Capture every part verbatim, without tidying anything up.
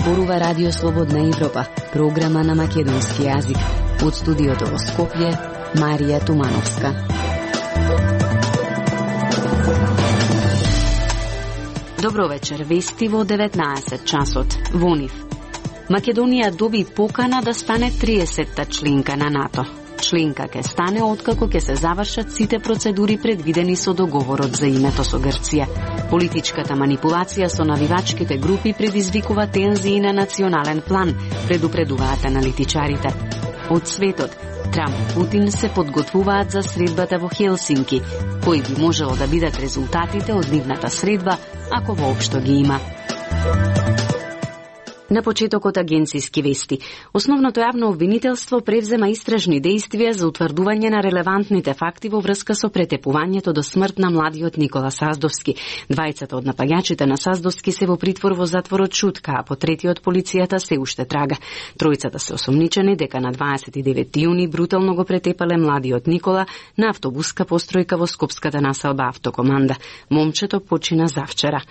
зборува Радио Слободна Европа, програма на македонски јазик. Од студиото во Скопје, Марија Тумановска. Добро вечер, вести во деветнаесет часот. Во нив. Македонија доби покана да стане триесетта членка на НАТО. Членка ке стане откако ке се завршат сите процедури предвидени со договорот за името со Грција. Политичката манипулација со навивачките групи предизвикува тензии на национален план, предупредуваат аналитичарите. Од светот, Трамп и Путин се подготвуваат за средбата во Хелсинки, кои би можело да бидат резултатите од нивната средба, ако воопшто ги има. На почетокот агенцијски вести. Основното јавно обвинителство превзема истражни дејствија за утврдување на релевантните факти во врска со претепувањето до смрт на младиот Никола Саздовски. Двајцата од напаѓачите на Саздовски се во притвор во затворот Шутка, а по третиот полицијата се уште трага. Тројцата се осомничени дека на дваесет и девети јуни брутално го претепале младиот Никола на автобуска постројка во скопската населба Автокоманда. Момчето почина завчера.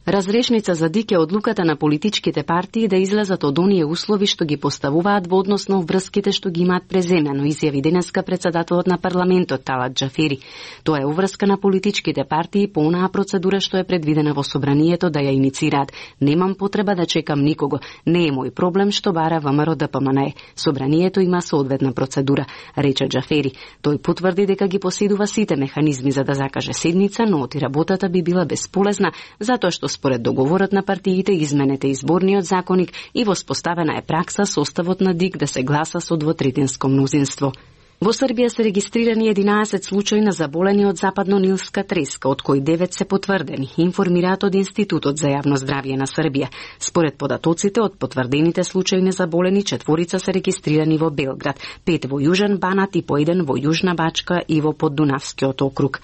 Разрешница за ДИК е одлуката на политичките партии да излезат од оние услови што ги поставуваат во однос на обврските што ги имаат преземено, изјави денеска председателот на парламентот Талат Џафери. Тоа е уврска на политичките партии по онаа процедура што е предвидена во собранието да ја иницираат. Немам потреба да чекам никого. Не е мој проблем што бара ВМРО Д П М Н Е. Собранието има соодветна процедура, рече Џафери. Тој потврди дека ги поседува сите механизми за да закаже седница, но оти работата би била бесполезна, затоа што според договорот на партиите, изменете изборниот законник и воспоставена е пракса составот на ДИК да се гласа со двотретинско мнозинство. Во Србија се регистрирани единаесет случаи на заболени од западно-нилска треска, од кои девет се потврдени, информираат од Институтот за јавно здравје на Србија. Според податоците, од потврдените случаи на заболени, четворица се регистрирани во Белград, пет во Јужен Банат и по еден во Јужна Бачка и во Поддунавскиот округ.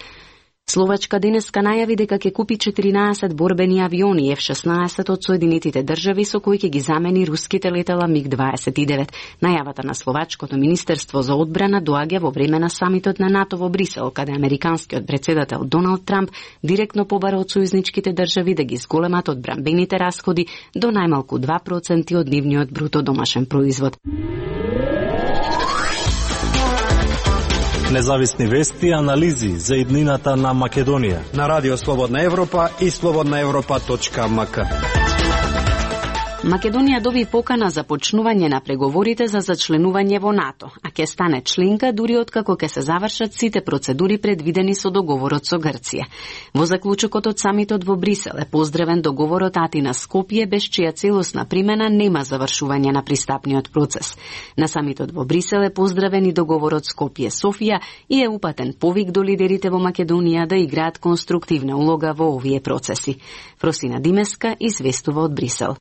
Словачка денеска најави дека ќе купи четиринаесет борбени авиони Ф шеснаесет од Соединетите држави со кои ќе ги замени руските летала Миг дваесет и девет. Најавата на Словачкото министерство за одбрана доаѓа во време на самитот на НАТО во Брисел, каде американскиот претседател Доналд Трамп директно побара од сојузницките држави да ги зголемат одбранбените расходи до најмалку два проценти од нивниот бруто домашен производ. Независни вести и анализи за иднината на Македонија на Радио Слободна Европа и слободна европа точка м к. Македонија доби покана за почнување на преговорите за зачленување во НАТО, а ќе стане членка дури откако ќе се завршат сите процедури предвидени со договорот со Грција. Во заклучокот од самитот во Брисел е поздравен договорот Атина Скопје, без чија целосна примена нема завршување на пристапниот процес. На самитот во Брисел е поздравен и договорот Скопје Софија и е упатен повик до лидерите во Македонија да играат конструктивна улога во овие процеси. Фросина Димеска известува од Брисел.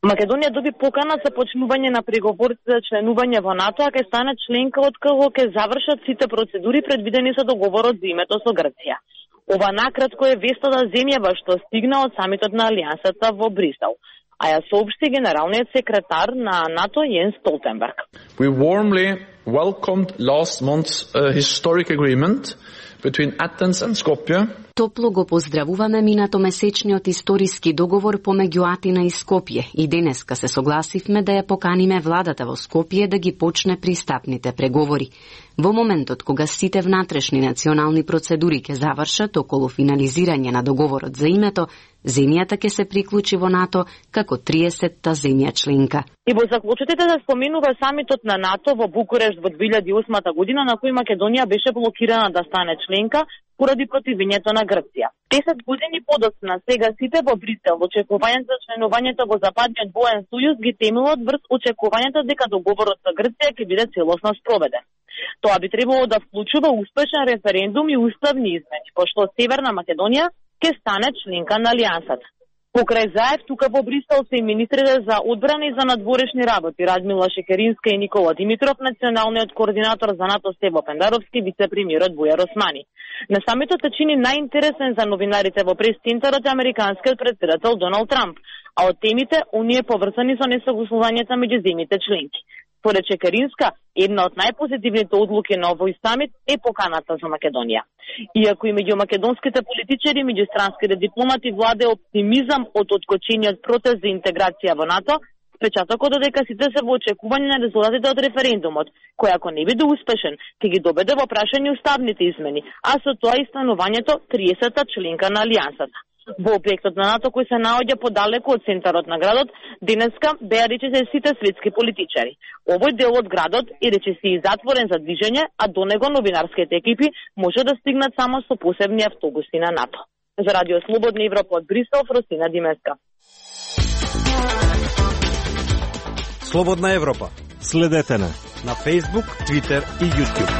Македонија доби покана за почнување на преговорите за членување во НАТО, а ќе стане членка откако ќе завршат сите процедури предвидени со договорот за името со Грција. Ова накратко е вестата земјава што стигна од самитот на Алијансата во Брисел, а ја соопшти генералниот секретар на НАТО Јенс Столтенберг. We warmly welcomed last month's uh, historic agreement between Athens and Skopje. Топло го поздравуваме минатомесечниот историски договор помеѓу Атина и Скопје и денеска се согласивме да ја поканиме владата во Скопје да ги почне пристапните преговори. Во моментот кога сите внатрешни национални процедури ќе завршат околу финализирање на договорот за името, земјата ќе се приклучи во НАТО како триесетта земја членка. И во заклучотите да споменува самитот на НАТО во Букурешт во две илјади и осма година, на кој Македонија беше блокирана да стане членка поради противењето на Грција. Десет години подоцна, сега сите во Брисел, очекувањето за членувањето во Западниот воен сојуз ги темелат врз очекувањето дека договорот со Грција ќе биде целосно спроведен. Тоа би требало да вклучува успешен референдум и уставни измени, пошто Северна Македонија ќе стане членка на Алијансата. Покрај заев, тука во Брисел се и министрите за одбрана и за надворешни работи Радмила Шекеринска и Никола Димитров, националниот координатор за НАТО Стево Пендаровски, вице-премиерот Бујар Османи. На самитот се чини најинтересен за новинарите во прес-центарот американскиот претседател Доналд Трамп, а од темите оние поврзани со несогласувањето меѓу земјите членки. Според Шекеринска, една од најпозитивните одлуки на овој самит е поканата за Македонија. Иако и меѓу македонските политичари и меѓустранските дипломати владе оптимизам од откочениот протест за интеграција во НАТО, Впечатокот е дека сите се во очекување на резултатите од референдумот, кој ако не биде успешен, ќе ги доведе во прашање уставните измени, а со тоа и станувањето триесетта членка на Алијансата. Во објектот на НАТО, кој се наоѓа подалеку од центарот на градот, денеска беа речиси сите светски политичари. Овој дел од градот е речиси затворен за движење, а до него новинарските екипи може да стигнат само со посебни автобуси на НАТО. За Радио Слободна Европа од Брисел, Росина Димеска. Слободна Европа. Следете на на Facebook, Twitter и YouTube.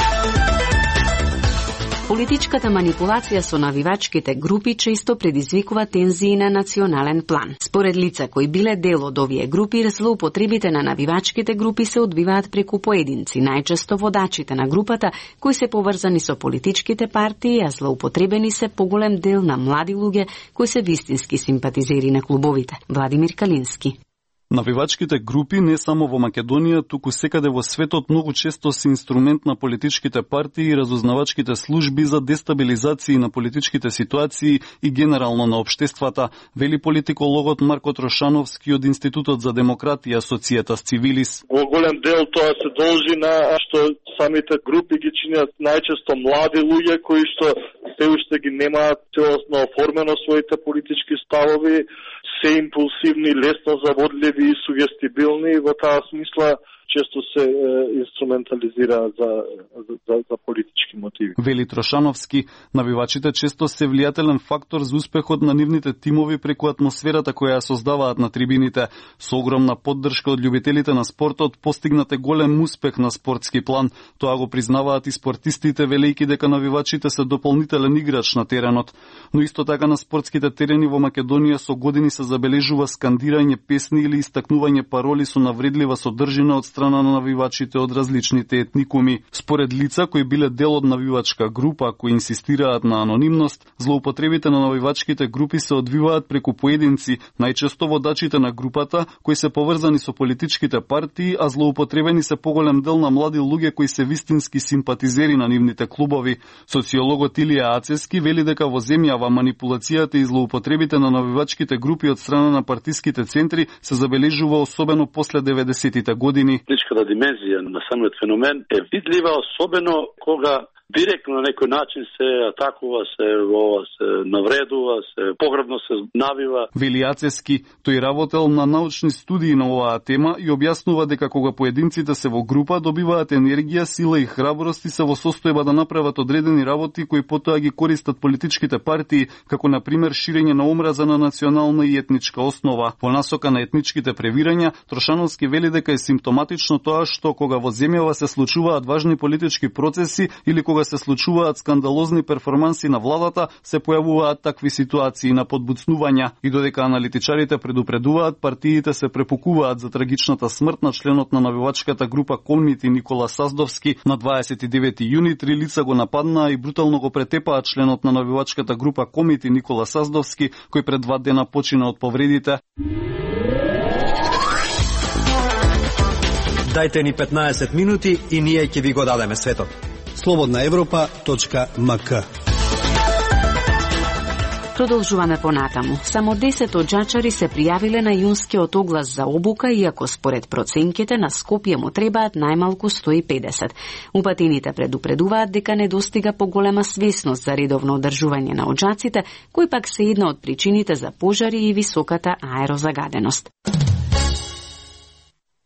Политичката манипулација со навивачките групи често предизвикува тензии на национален план. Според лица кои биле дел од овие групи, злоупотребите на навивачките групи се одбиваат преку поединци, најчесто водачите на групата, кои се поврзани со политичките партии, а злоупотребени се поголем дел на млади луѓе кои се вистински симпатизери на клубовите. Владимир Калински. Навивачките групи не само во Македонија, туку секаде во светот многу често се инструмент на политичките партии и разузнавачките служби за дестабилизација на политичките ситуации и генерално на општествата, вели политикологот Марко Трошановски од Институтот за демократија Societas Civilis. Во голем дел тоа се должи на што самите групи ги чинат најчесто млади луѓе кои што се уште ги немаат целосно оформено своите политички ставови, се импулсивни, лесно заводливи и сугестибилни, и во таа смисла често се е, инструментализираат за, за, за политички мотиви. Вели Трошановски, навивачите често се влијателен фактор за успехот на нивните тимови преку атмосферата која ја создаваат на трибините. Со огромна поддршка од љубителите на спортот постигнате голем успех на спортски план. Тоа го признаваат и спортистите, велејќи дека навивачите се дополнителен играч на теренот. Но исто така на спортските терени во Македонија со години се забележува скандирање песни или истакнување пароли со навредлива содржина од страна на навивачите од различните етникуми. Според лица кои биле дел од навивачка група, кои инсистираат на анонимност, злоупотребите на навивачките групи се одвиваат преку поединци, најчесто водачите на групата, кои се поврзани со политичките партии, а злоупотребени се поголем дел на млади луѓе кои се вистински симпатизери на нивните клубови. Социологот Илија Ацески вели дека во земјава манипулацијата и злоупотребите на навивачките групи од страна на партиските центри се забележува особено после деветдесетите години. Политичката димензија на самиот феномен е видлива, особено кога директно на некој начин се атакува, се, се навредува, се погребно се навива. Вели Ацески, тој работел на научни студии на оваа тема и објаснува дека кога поединците се во група добиваат енергија, сила и храброст и се во состојба да направат одредени работи кои потоа ги користат политичките партии, како на пример ширење на омраза на национална и етничка основа. По насока на етничките превирања, Трошановски вели дека е симптоматично тоа што кога во земјава се случуваат важни политички процеси или кога се случуваат скандалозни перформанси на владата, се појавуваат такви ситуации на подбуцнувања и додека аналитичарите предупредуваат, партиите се препукуваат за трагичната смрт на членот на навивачката група Комити Никола Саздовски на дваесет и девети јуни. Три лица го нападнаа и брутално го претепаат членот на навивачката група Комити Никола Саздовски, кој пред два дена почина од повредите. Дајте ни петнаесет минути и ние ќе ви го дадеме светот. слободна европа точка ем ка. Продолжуваме понатаму. Само десет оџачари се пријавиле на јунскиот оглас за обука, иако според проценките на Скопје му требаат најмалку сто и педесет. Упатените предупредуваат дека не достига поголема свесност за редовно одржување на оџаците, кои пак се една од причините за пожари и високата аерозагаденост.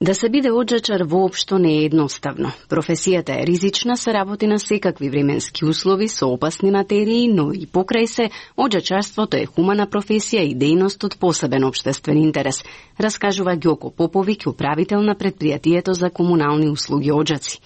Да се биде оџачар воопшто не е едноставно. Професијата е ризична, се работи на секакви временски услови со опасни материи, но и покрај се, оџачарството е хумана професија и дејност од посебен општествен интерес, раскажува Ѓоко Поповиќ, управител на предпријатието за комунални услуги оџаци.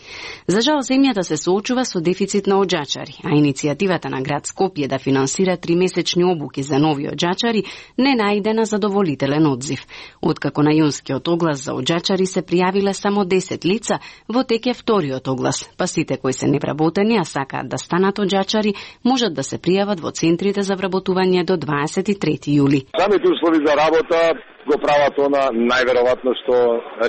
За жал, земјата се соочува со дефицит на оџачари, а иницијативата на град Скопје да финансира тримесечни обуки за нови оџачари не најде на задоволителен одзив. Откако на јунскиот оглас за оџачари се пријавиле само десет лица, во тек е вториот оглас, па сите кои се невработени, а сакаат да станат оџачари, можат да се пријават во центрите за вработување до дваесет и трети јули. Самите услови за работа го прават она најверојатно што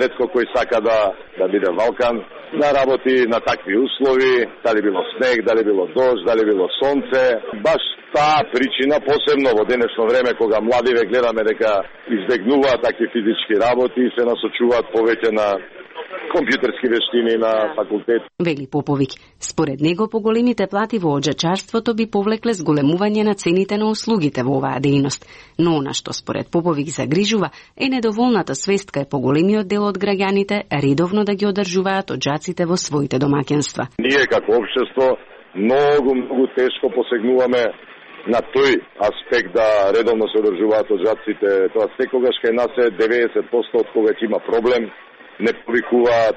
ретко кој сака да да биде валкан, да работи на такви услови, дали било снег, дали било дожд, дали било сонце, баш Таа причина, посебно во денешно време, кога младиве гледаме дека избегнуваат такви физички работи и се насочуваат повеќе на компјутерски вештини на факултет. Вели Поповиќ, според него поголемите плати во оџачарството би повлекле зголемување на цените на услугите во оваа дејност. Но она што според Поповиќ загрижува е недоволната свест кај поголемиот дел од граѓаните редовно да ги одржуваат оџаците во своите домаќинства. Ние како општество многу, многу тешко посегнуваме на тој аспект да редовно се одржуваат оџаците. Тоа секогаш кај нас е деветдесет проценти од кога ќе има проблем, не повикуваат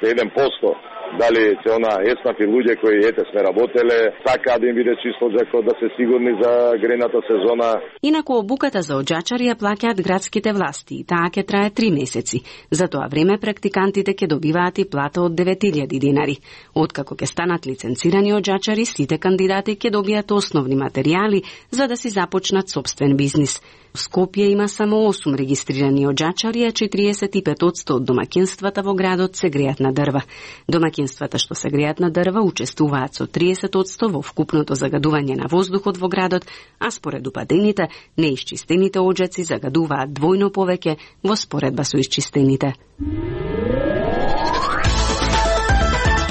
еден процент. Дали се она еснафи луѓе кои ете сме работеле, сакаат да им биде чисто оџакот, да се сигурни за грејната сезона. Инаку обуката за оџачари ја плаќаат градските власти и таа ќе трае три месеци. За тоа време практикантите ќе добиваат и плата од девет илјади динари. Откако ќе станат лиценцирани оџачари, сите кандидати ќе добијат основни материјали за да си започнат сопствен бизнис. В Скопје има само осум регистрирани оџачари, а четириесет и пет проценти од домаќинствата во градот се греат на дрва. Домаќинствата што се греат на дрва учествуваат со триесет проценти во вкупното загадување на воздухот во градот, а според упадените, неисчистените оџаци загадуваат двојно повеќе во споредба со исчистените.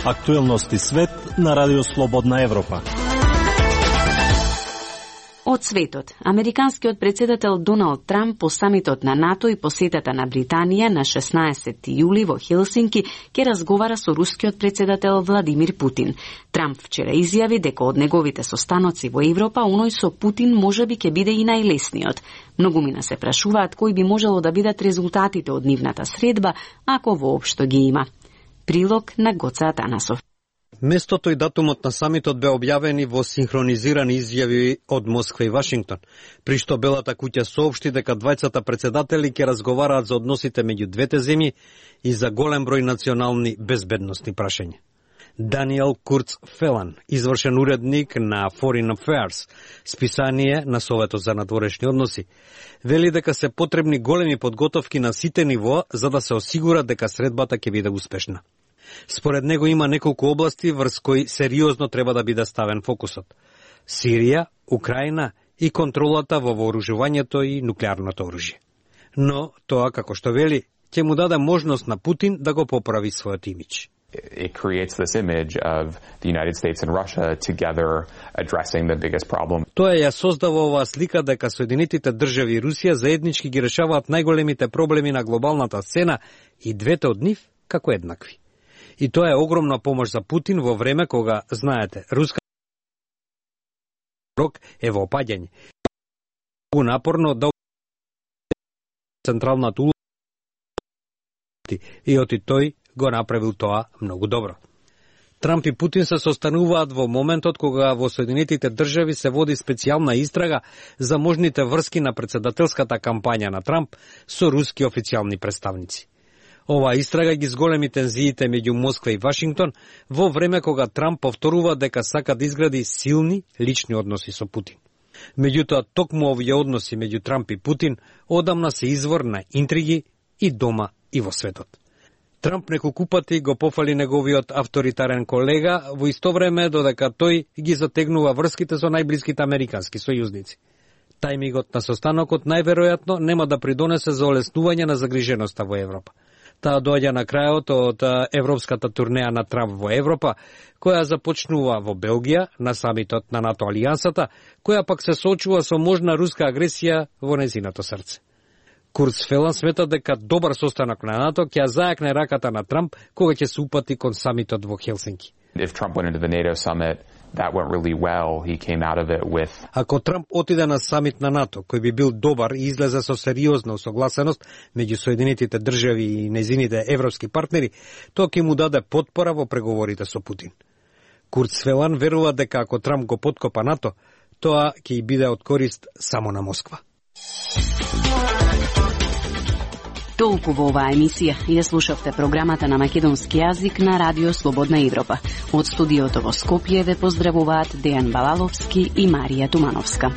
Актуелности свет на Радио Слободна Европа. Од светот, американскиот председател Доналд Трамп по самитот на НАТО и посетата на Британија на шеснаесетти јули во Хелсинки ќе разговара со рускиот председател Владимир Путин. Трамп вчера изјави дека од неговите состаноци во Европа, оној со Путин можеби ќе биде и најлесниот. Многумина се прашуваат кои би можело да бидат резултатите од нивната средба, ако воопшто ги има. Прилог на Гоца Атанасов. Местото и датумот на самитот бе објавени во синхронизирани изјави од Москва и Вашингтон, при што Белата куќа соопшти дека двајцата председатели ќе разговараат за односите меѓу двете земји и за голем број национални безбедносни прашања. Даниел Курц Фелан, извршен уредник на Foreign Affairs, списание на Советот за надворешни односи, вели дека се потребни големи подготовки на сите нивоа за да се осигура дека средбата ќе биде успешна. Според него има неколку области врз кои сериозно треба да биде ставен фокусот. Сирија, Украина и контролата во вооружувањето и нуклеарното оружје. Но тоа, како што вели, ќе му даде можност на Путин да го поправи својот имидж. It creates this image of the United States and Russia together addressing the biggest problem. Тоа ја создава оваа слика дека Соединетите држави и Русија заеднички ги решаваат најголемите проблеми на глобалната сцена и двете од нив како еднакви. И тоа е огромна помош за Путин во време кога, знаете, руска рок е во опаѓање. Многу напорно да централната улога и оти тој го направил тоа многу добро. Трамп и Путин се состануваат во моментот кога во Соединетите држави се води специјална истрага за можните врски на председателската кампања на Трамп со руски официјални представници. Оваа истрага ги зголеми тензиите меѓу Москва и Вашингтон во време кога Трамп повторува дека сака да изгради силни лични односи со Путин. Меѓутоа, токму овие односи меѓу Трамп и Путин одамна се извор на интриги и дома и во светот. Трамп неколку пати го пофали неговиот авторитарен колега, во исто време додека тој ги затегнува врските со најблиските американски сојузници. Тајмигот на состанокот најверојатно нема да придонесе за олеснување на загриженоста во Европа. Таа доаѓа на крајот од европската турнеја на Трамп во Европа, која започнува во Белгија на самитот на НАТО алијансата, која пак се соочува со можна руска агресија во незиното срце. Курц Фелан смета дека добар состанок на НАТО ќе зајакне раката на Трамп кога ќе се упати кон самитот во Хелсинки. If Trump went into the NATO summit, that went really well. He came out of it with... Ако Трамп отиде на самит на НАТО, кој би бил добар и излезе со сериозна усогласеност меѓу Соединетите држави и незините европски партнери, тоа ќе му даде потпора во преговорите со Путин. Курц Фелан верува дека ако Трамп го поткопа НАТО, тоа ќе и биде од корист само на Москва. Толку во оваа емисија. Ја слушавте програмата на македонски јазик на Радио Слободна Европа. Од студиото во Скопје ве поздравуваат Дејан Балаловски и Марија Тумановска.